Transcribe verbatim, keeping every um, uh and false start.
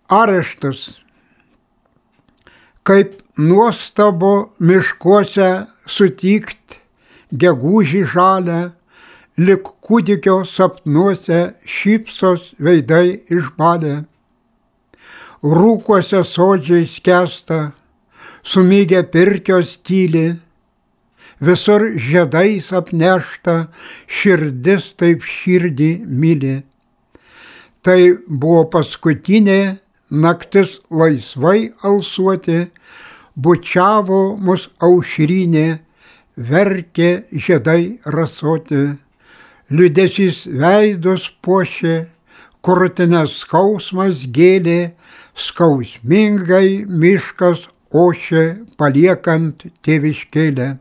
areštus. Kaip nuostabu miškuose sutikt gegužį žalę, lik kūdikio sapnuose šypsos veidai išbalę. Rūkuose sodžiai skęsta, sumygę pirkios tyli, visur žiedais apnešta, širdis taip širdį myli. Tai buvo paskutinė naktis laisvai alsuoti, bučiavo mus aušrinė, verkė žiedai rasoti. Liūdesys veidus puošė, krūtinės skausmas gėlė, skausmingai miškas ošė, paliekant tėviškėlę.